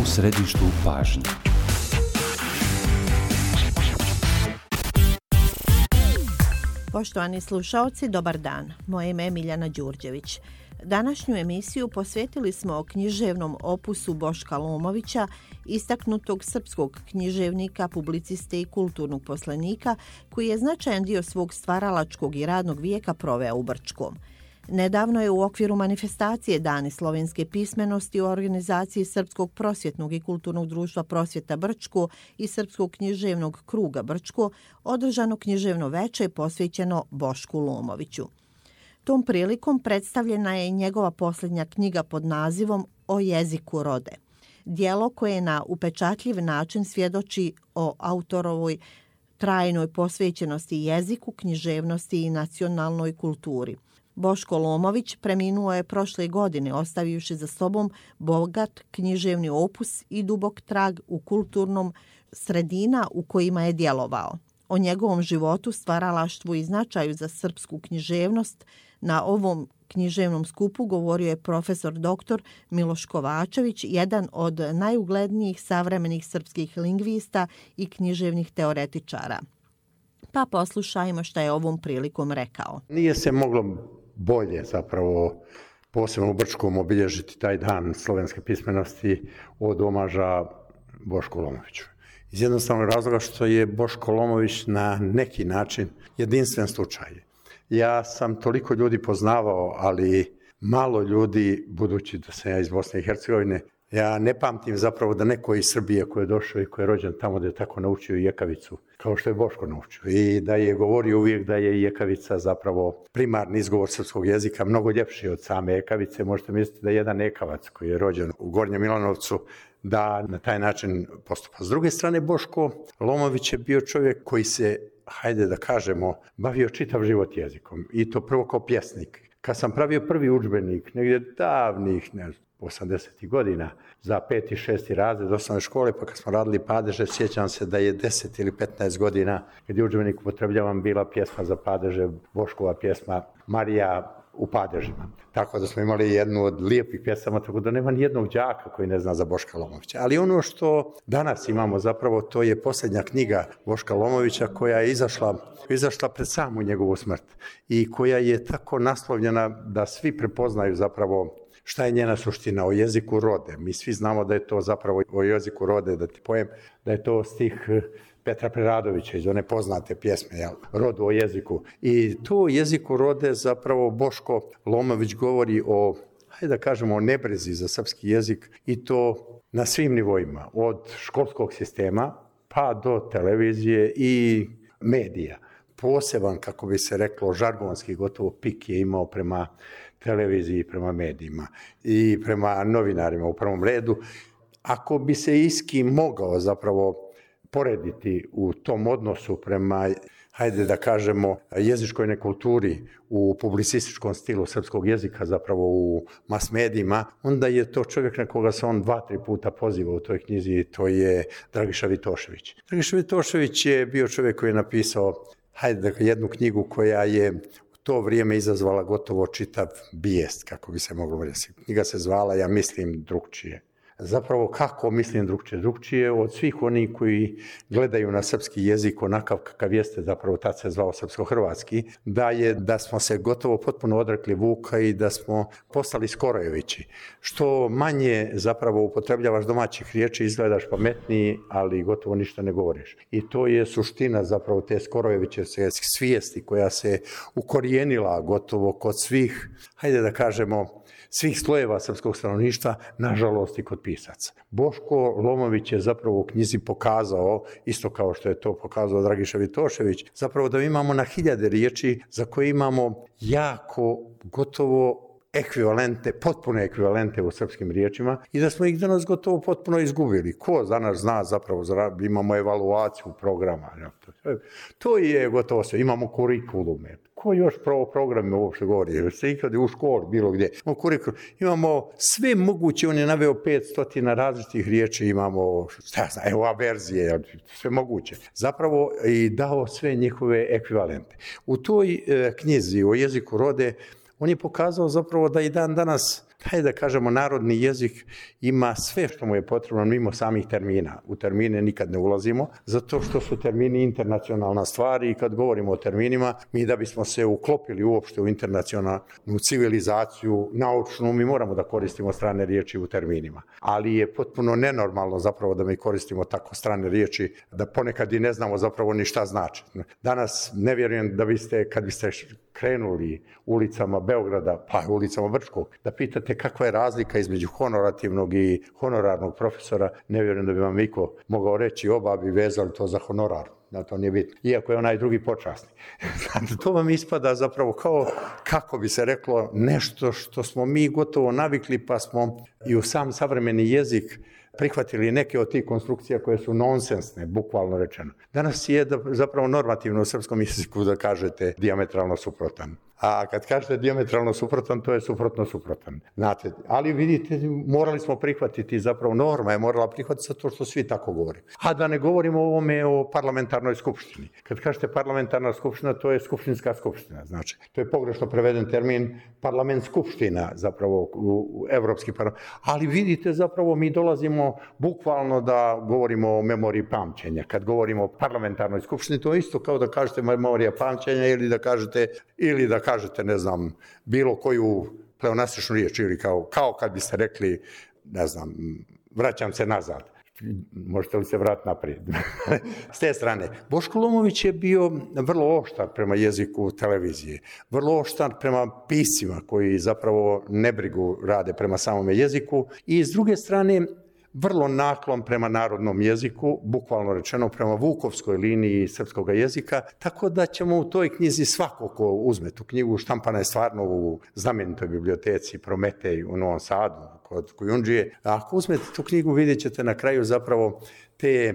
u središtu pažnje. Poštovani slušaoci, dobar dan. Moje ime je Miljana Đurđević. Današnju emisiju posvetili smo književnom opusu Boška Lomovića, istaknutog srpskog književnika, publiciste i kulturnog poslanika, koji je značajan dio svog stvaralačkog i radnog vijeka proveo u Brčkom. Nedavno je u okviru manifestacije Dani slovenske pismenosti u organizaciji Srpskog prosvjetnog i kulturnog društva Prosvjeta Brčko i Srpskog književnog kruga Brčko održano književno veče posvećeno Bošku Lomoviću. Tom prilikom predstavljena je njegova posljednja knjiga pod nazivom O jeziku rode. Djelo koje na upečatljiv način svjedoči o autorovoj trajnoj posvećenosti jeziku, književnosti i nacionalnoj kulturi. Boško Lomović preminuo je prošle godine, ostavivši za sobom bogat književni opus i dubok trag u kulturnom sredina u kojima je djelovao. O njegovom životu, stvaralaštvu i značaju za srpsku književnost na ovom književnom skupu govorio je profesor dr. Miloš Kovačević, jedan od najuglednijih savremenih srpskih lingvista i književnih teoretičara. Pa poslušajmo šta je ovom prilikom rekao. Nije se moglo bolje zapravo posebno u Brčkom obilježiti taj dan slovenske pismenosti od omaža Bošku Lomoviću. Iz jednostavnog razloga što je Boško Lomović na neki način jedinstven slučaj. Ja sam toliko ljudi poznavao, ali malo ljudi, budući da sam ja iz Bosne i Hercegovine, ja ne pamtim zapravo da neko iz Srbije koji je došao i koji je rođen tamo da je tako naučio jekavicu, kao što je Boško naučio. I da je govorio uvijek da je jekavica zapravo primarni izgovor srpskog jezika, mnogo ljepši od same jekavice. Možete misliti da je jedan ekavac koji je rođen u Gornjem Milanovcu da na taj način postupa. S druge strane, Boško Lomović je bio čovjek koji se, hajde da kažemo, bavio čitav život jezikom. I to prvo kao pjesnik. Kad sam pravio prvi udžbenik, negdje davnih, 80. godina, za 5. i 6. razred osnovne škole, pa kad smo radili padeže, sjećam se da je 10 ili 15 godina, kad je udžbenik upotrebljavan, bila pjesma za padeže, Boškova pjesma Marija u padežima. Tako da smo imali jednu od lijepih pjesama, tako da nema nijednog đaka koji ne zna za Boška Lomovića. Ali ono što danas imamo zapravo, to je posljednja knjiga Boška Lomovića koja je izašla pred samu njegovu smrt i koja je tako naslovljena da svi prepoznaju zapravo šta je njena suština, o jeziku rode. Mi svi znamo da je to zapravo o jeziku rode, da ti pojem, da je to stih Petra Preradovića iz one poznate pjesme, Rodu o jeziku. I to o jeziku rode zapravo Boško Lomović govori o, hajde da kažemo, o nebrezi za srpski jezik i to na svim nivoima, od školskog sistema pa do televizije i medija. Poseban, kako bi se reklo, žargonski gotovo pik je imao prema televiziji, prema medijima i prema novinarima u prvom redu. Ako bi se iski mogao zapravo porediti u tom odnosu prema, hajde da kažemo, jezičkoj nekulturi u publicističkom stilu srpskog jezika, zapravo u mas medijima, onda je to čovjek na koga se on 2-3 puta poziva u toj knjizi, to je Dragiša Vitošević. Dragiša Vitošević je bio čovjek koji je napisao, jednu knjigu koja je u to vrijeme izazvala gotovo čitav bijest, kako bi se moglo reći. Knjiga se zvala Ja mislim drukčije. Zapravo kako mislim drukčije? Drukčije od svih onih koji gledaju na srpski jezik onakav kakav jeste, zapravo tad se zvao srpsko-hrvatski, da smo se gotovo potpuno odrekli Vuka i da smo postali Skorojevići. Što manje zapravo upotrebljavaš domaćih riječi, izgledaš pametniji, ali gotovo ništa ne govoriš. I to je suština zapravo te Skorojeviće svijesti koja se ukorijenila gotovo kod svih, hajde da kažemo, svih slojeva srpskog stanovništva, nažalost i kod pisaca. Boško Lomović je zapravo u knjizi pokazao, isto kao što je to pokazao Dragiša Vitošević, zapravo da imamo na hiljade riječi za koje imamo jako gotovo ekvivalente, potpune ekvivalente u srpskim riječima i da smo ih danas gotovo potpuno izgubili. Ko danas zna zapravo, imamo evaluaciju programa. To je gotovo sve. Imamo kurikulume. Ko još o programima uopšte govori? Se ikad u školi, bilo gdje. Imamo sve moguće, on je naveo 500 različitih riječi, imamo, averzije, sve moguće. Zapravo i dao sve njihove ekvivalente. U toj knjizi o jeziku rode on je pokazao zapravo da i dan danas taj, da kažemo, narodni jezik ima sve što mu je potrebno mimo samih termina. U termine nikad ne ulazimo, zato što su termini internacionalna stvar i kad govorimo o terminima, mi da bismo se uklopili uopšte u internacionalnu civilizaciju, naučnu, mi moramo da koristimo strane riječi u terminima. Ali je potpuno nenormalno zapravo da mi koristimo tako strane riječi, da ponekad i ne znamo zapravo ni šta znači. Danas ne vjerujem da biste, kad biste krenuli ulicama Beograda, pa ulicama Brčkog, da pitate kakva je razlika između honorativnog i honorarnog profesora, ne vjerujem da bi vam niko mogao reći oba bi vezali to za honorar. Da, to nije bitno. Iako je onaj drugi počasni. To vam ispada zapravo kao, kako bi se reklo, nešto što smo mi gotovo navikli, pa smo i u sam savremeni jezik prihvatili neke od tih konstrukcija koje su nonsensne, bukvalno rečeno. Danas je zapravo normativno u srpskom jeziku da kažete dijametralno suprotan. A kad kažete dijametralno suprotan, to je suprotan. Znate, ali vidite, morali smo prihvatiti, zapravo norma je morala prihvatiti zato što svi tako govore. A da ne govorimo o ovome o parlamentarnoj skupštini. Kad kažete parlamentarna skupština, to je skupštinska skupština. Znači, to je pogrešno preveden termin parlament skupština, zapravo u evropski parlament. Ali vidite, zapravo mi dolazimo bukvalno da govorimo o memoriji pamćenja. Kad govorimo o parlamentarnoj skupštini, to je isto kao da kažete memorija pamćenja ili da kažete, ne znam, bilo koju pleonastičnu riječ ili kao kad biste rekli, ne znam, vraćam se nazad. Možete li se vratiti naprijed? S te strane, Boško Lomović je bio vrlo oštar prema jeziku televizije, vrlo oštar prema piscima koji zapravo nebrigu rade prema samome jeziku i s druge strane vrlo naklon prema narodnom jeziku, bukvalno rečeno prema Vukovskoj liniji srpskog jezika, tako da ćemo u toj knjizi svako ko uzme tu knjigu, štampana je stvarno u znamenitoj biblioteci Prometej u Novom Sadu, kod Kujundžije. A ako uzmete tu knjigu, vidjet ćete na kraju zapravo te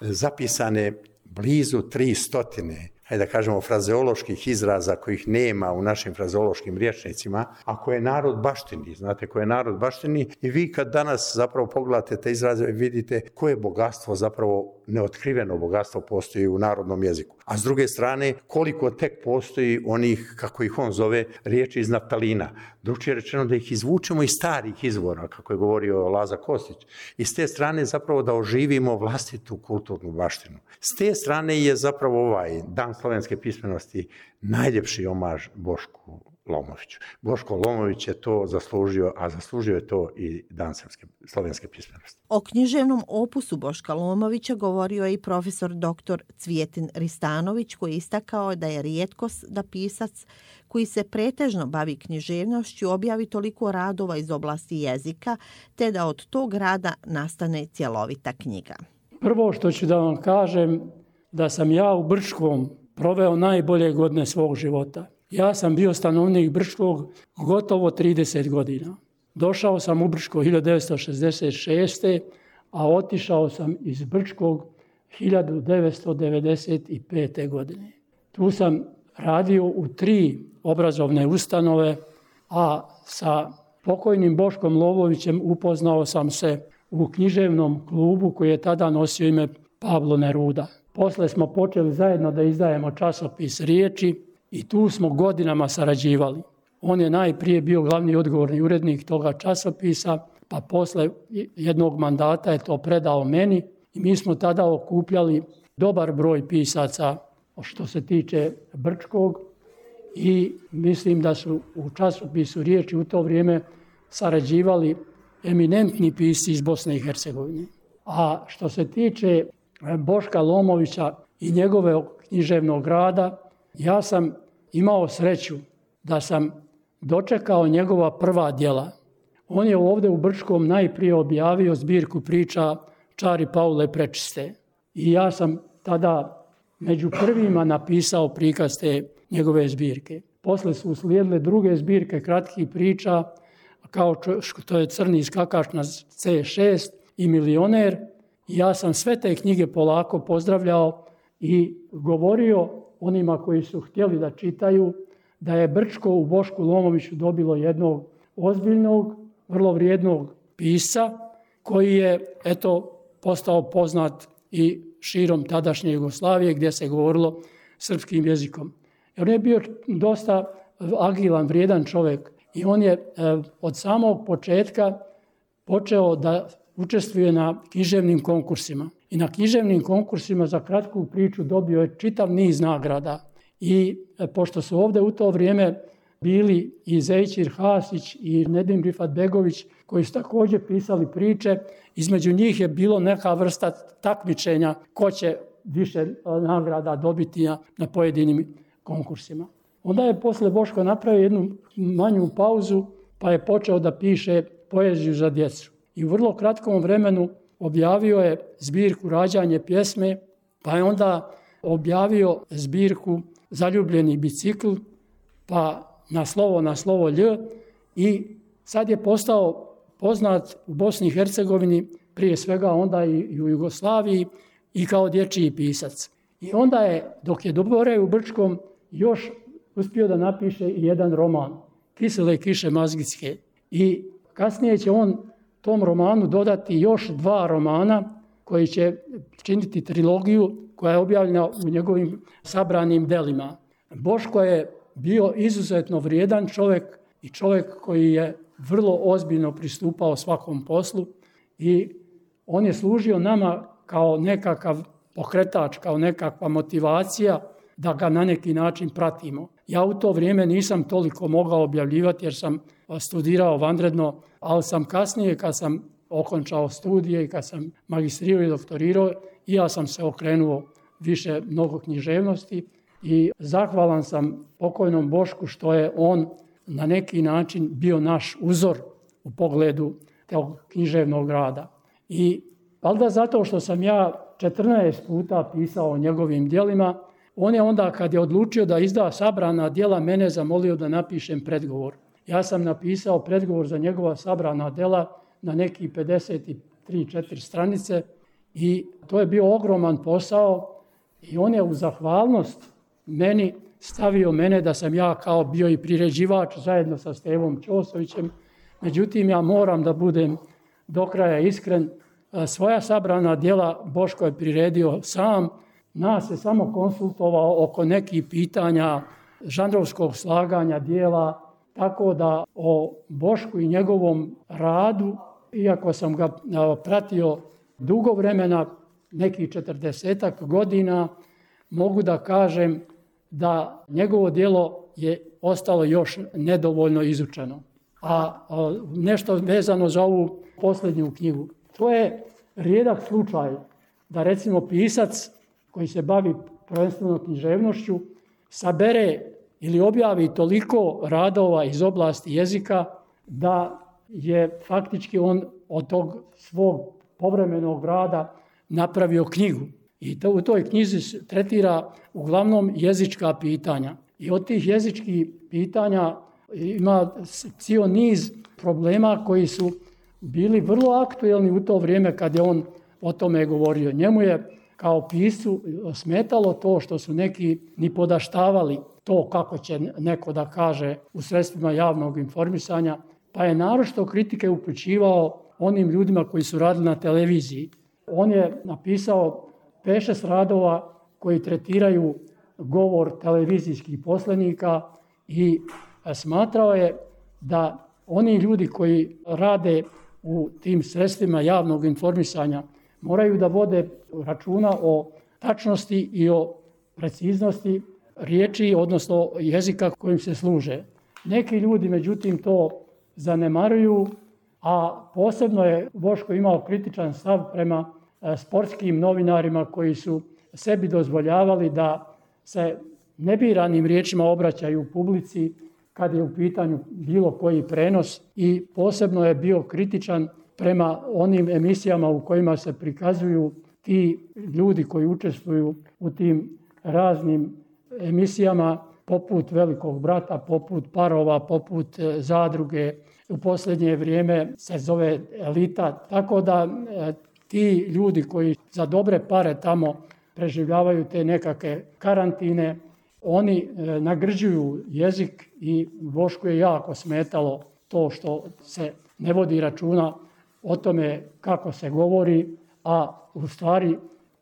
zapisane blizu 300, hajde da kažemo, frazeoloških izraza kojih nema u našim frazeološkim rječnicima, a koje narod baštini, znate, koje narod baštini i vi kad danas zapravo pogledate te izraze vidite koje bogatstvo, zapravo neotkriveno bogatstvo postoji u narodnom jeziku. A s druge strane, koliko tek postoji onih, kako ih on zove, riječi iz naftalina. Drugčije rečeno da ih izvučemo iz starih izvora, kako je govorio Laza Kostić. I s te strane zapravo da oživimo vlastitu kulturnu baštinu. S te strane je zapravo ovaj Dan slovenske pismenosti najljepši omaž Bošku Lomoviću. Boško Lomović je to zaslužio, a zaslužio je to i Dan slovenske pismenosti. O književnom opusu Boška Lomovića govorio je i profesor dr. Cvijetin Ristanović, koji je istakao da je rijetkost da pisac koji se pretežno bavi književnošću objavi toliko radova iz oblasti jezika, te da od tog rada nastane cjelovita knjiga. Prvo što ću da vam kažem, da sam ja u Brčkom proveo najbolje godine svog života. Ja sam bio stanovnik Brčkog gotovo 30 godina. Došao sam u Brčko 1966. a otišao sam iz Brčkog 1995. godine. Tu sam radio u 3 obrazovne ustanove, a sa pokojnim Boškom Lomovićem upoznao sam se u književnom klubu koji je tada nosio ime Pavlo Neruda. Posle smo počeli zajedno da izdajemo časopis Riječi i tu smo godinama sarađivali. On je najprije bio glavni odgovorni urednik toga časopisa, pa posle jednog mandata je to predao meni i mi smo tada okupljali dobar broj pisaca što se tiče Brčkog i mislim da su u časopisu Riječi u to vrijeme sarađivali eminentni pisci iz Bosne i Hercegovine. A što se tiče Boška Lomovića i njegove književnog rada, ja sam imao sreću da sam dočekao njegova prva djela. On je ovdje u Brčkom najprije objavio zbirku priča Čari Paule Prečiste. I ja sam tada među prvima napisao prikaz te njegove zbirke. Posle su uslijedile druge zbirke kratkih priča, kao što je Crni skakač na C6 i Milioner. Ja sam sve te knjige polako pozdravljao i govorio onima koji su htjeli da čitaju da je Brčko u Bošku Lomoviću dobilo jednog ozbiljnog, vrlo vrijednog pisca koji je postao poznat i širom tadašnje Jugoslavije gdje se govorilo srpskim jezikom. On je bio dosta agilan, vrijedan čovjek I on je od samog početka počeo da učestvuje na književnim konkursima. I na književnim konkursima za kratku priču dobio je čitav niz nagrada. I pošto su ovdje u to vrijeme bili i Zejčir Hasić i Nedim Rifat-begović koji su također pisali priče, između njih je bilo neka vrsta takmičenja ko će više nagrada dobiti na pojedinim konkursima. Onda je posle Boško napravio jednu manju pauzu pa je počeo da piše poeziju za djecu. I u vrlo kratkom vremenu objavio je zbirku Rađanje pjesme, pa je onda objavio zbirku Zaljubljeni bicikl, pa na slovo lj i sad je postao poznat u Bosni i Hercegovini, prije svega onda i u Jugoslaviji i kao dječji pisac. I onda je, dok je boravio u Brčkom, još uspio da napiše i jedan roman, Kisele kiše mazgitske. I kasnije će on tom romanu dodati još 2 romana koji će činiti trilogiju koja je objavljena u njegovim sabranim delima. Boško je bio izuzetno vrijedan čovjek i čovjek koji je vrlo ozbiljno pristupao svakom poslu i on je služio nama kao nekakav pokretač, kao nekakva motivacija da ga na neki način pratimo. Ja u to vrijeme nisam toliko mogao objavljivati jer sam studirao vanredno, ali sam kasnije kad sam okončao studije i kad sam magistrirao i doktorirao, i ja sam se okrenuo više mnogo književnosti i zahvalan sam pokojnom Bošku što je on na neki način bio naš uzor u pogledu tog književnog rada. I valjda zato što sam ja 14 puta pisao o njegovim djelima, on je onda kad je odlučio da izda sabrana djela mene zamolio da napišem predgovor. Ja sam napisao predgovor za njegova sabrana djela na neki 53-4 stranice i to je bio ogroman posao i on je u zahvalnost meni stavio mene da sam ja kao bio i priređivač zajedno sa Stevom Ćosovićem. Međutim, ja moram da budem do kraja iskren. Svoja sabrana djela Boško je priredio sam. Nas je samo konsultovao oko nekih pitanja žanrovskog slaganja djela, tako da o Bošku i njegovom radu, iako sam ga pratio dugo vremena, nekih 40 godina, mogu da kažem da njegovo djelo je ostalo još nedovoljno izučeno. A nešto vezano za ovu posljednju knjigu. To je rijedak slučaj da recimo pisac koji se bavi prvenstveno književnošću sabere ili objavi toliko radova iz oblasti jezika da je faktički on od tog svog povremenog rada napravio knjigu. I u toj knjizi tretira uglavnom jezička pitanja. I od tih jezičkih pitanja ima cijel niz problema koji su bili vrlo aktuelni u to vrijeme kad je on o tome govorio. Njemu je kao piscu smetalo to što su neki ni podaštavali to kako će neko da kaže u sredstvima javnog informisanja, pa je naročito kritike upućivao onim ljudima koji su radili na televiziji. On je napisao 5-6 radova koji tretiraju govor televizijskih poslenika i smatrao je da oni ljudi koji rade u tim sredstvima javnog informisanja moraju da vode računa o tačnosti i o preciznosti riječi, odnosno jezika kojim se služe. Neki ljudi, međutim, to zanemaruju, a posebno je Boško imao kritičan stav prema sportskim novinarima koji su sebi dozvoljavali da se nebiranim riječima obraćaju publici kad je u pitanju bilo koji prenos i posebno je bio kritičan prema onim emisijama u kojima se prikazuju ti ljudi koji učestvuju u tim raznim emisijama poput Velikog brata, poput Parova, poput Zadruge. U posljednje vrijeme se zove Elita. Tako da ti ljudi koji za dobre pare tamo preživljavaju te nekakve karantine, oni nagrđuju jezik i Bošku je jako smetalo to što se ne vodi računa o tome kako se govori, a u stvari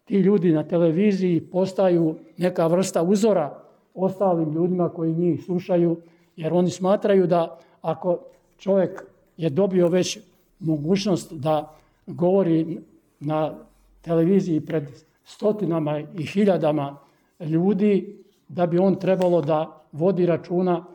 ti ljudi na televiziji postaju neka vrsta uzora ostalim ljudima koji njih slušaju, jer oni smatraju da ako čovjek je dobio već mogućnost da govori na televiziji pred stotinama i hiljadama ljudi, da bi on trebalo da vodi računa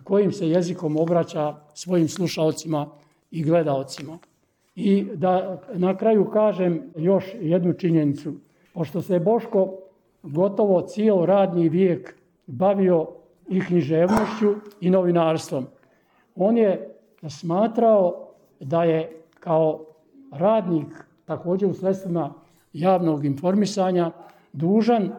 kojim se jezikom obraća svojim slušaocima i gledaocima. I da na kraju kažem još jednu činjenicu. Pošto se Boško gotovo cijelo radni vijek bavio i književnošću i novinarstvom, on je smatrao da je kao radnik također u sredstvima javnog informisanja dužan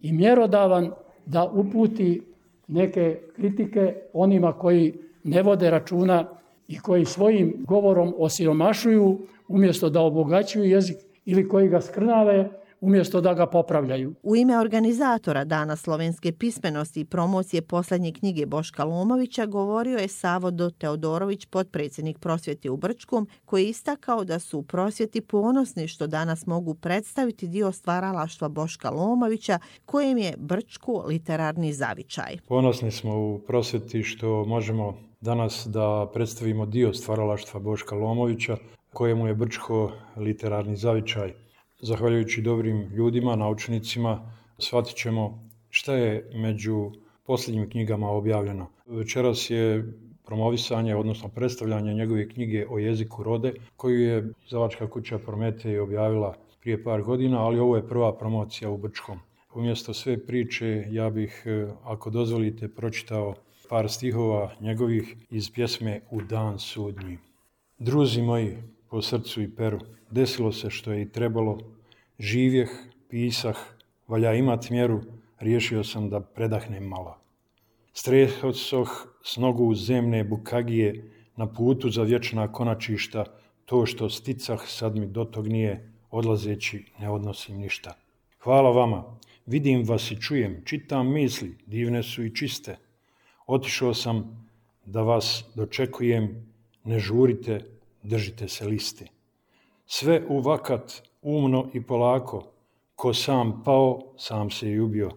i mjerodavan da uputi neke kritike onima koji ne vode računa i koji svojim govorom osiromašuju umjesto da obogaćuju jezik ili koji ga skrnave umjesto da ga popravljaju. U ime organizatora Dana slovenske pismenosti i promocije posljednje knjige Boška Lomovića govorio je Savo D. Teodorović, potpredsjednik prosvjete u Brčkom, koji je istakao da su u prosvjeti ponosni što danas mogu predstaviti dio stvaralaštva Boška Lomovića, kojem je Brčko literarni zavičaj. Ponosni smo u prosvjeti što možemo danas da predstavimo dio stvaralaštva Boška Lomovića, kojemu je Brčko literarni zavičaj. Zahvaljujući dobrim ljudima, naučnicima, shvatit ćemo šta je među posljednjim knjigama objavljeno. Večeras je promovisanje, odnosno predstavljanje njegove knjige o jeziku rode, koju je izdavačka kuća Prometej objavila prije par godina, ali ovo je prva promocija u Brčkom. Umjesto sve priče, ja bih, ako dozvolite, pročitao par stihova njegovih iz pjesme U dan sudnji. Druzi moji, po srcu i peru, desilo se što je i trebalo, živjeh, pisah, valja imat mjeru, riješio sam da predahnem malo. Strehosoh s nogu u zemne bukagije, na putu za vječna konačišta, to što sticah sad mi do tog nije, odlazeći ne odnosim ništa. Hvala vama, vidim vas i čujem, čitam misli, divne su i čiste. Otišao sam da vas dočekujem, ne žurite, držite se liste. Sve u vakat, umno i polako, ko sam pao, sam se i ubio.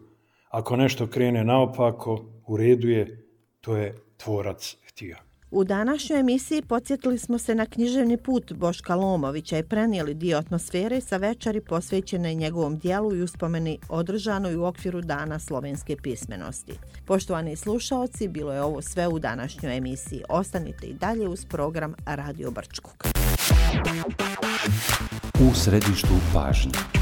Ako nešto krene naopako, u redu je, to je tvorac htio. U današnjoj emisiji podsjetili smo se na književni put Boška Lomovića i prenijeli dio atmosfere sa večeri posvećene njegovom dijelu i uspomeni održanoj u okviru Dana slovenske pismenosti. Poštovani slušaoci, bilo je ovo sve u današnjoj emisiji. Ostanite i dalje uz program Radio Brčkog. U središtu pažnje.